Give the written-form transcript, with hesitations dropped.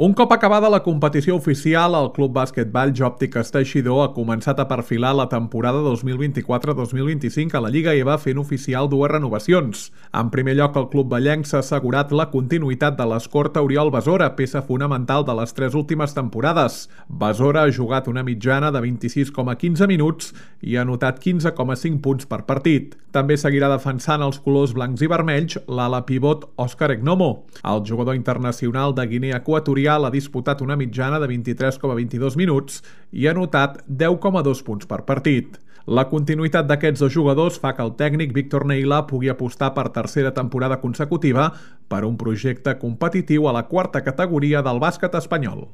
Un cop acabada la competició oficial, el Club Bàsquetball Òptiques Teixidor ha començat a perfilar la temporada 2024-2025 a la Lliga i va fent oficial dues renovacions. En primer lloc, el club ballenc s'ha assegurat la continuïtat de l'escorta Oriol Besora, peça fonamental de les tres últimes temporades. Besora ha jugat una mitjana de 26,15 minuts i ha anotat 15,5 punts per partit. També seguirà defensant els colors blancs i vermells l'ala pivot Òscar Egnomo. El jugador internacional de Guinea Equatorial ha disputat una mitjana de 23,22 minuts i ha anotat 10,2 punts per partit. La continuïtat d'aquests dos jugadors fa que el tècnic Víctor Neila pugui apostar per tercera temporada consecutiva per un projecte competitiu a la quarta categoria del bàsquet espanyol.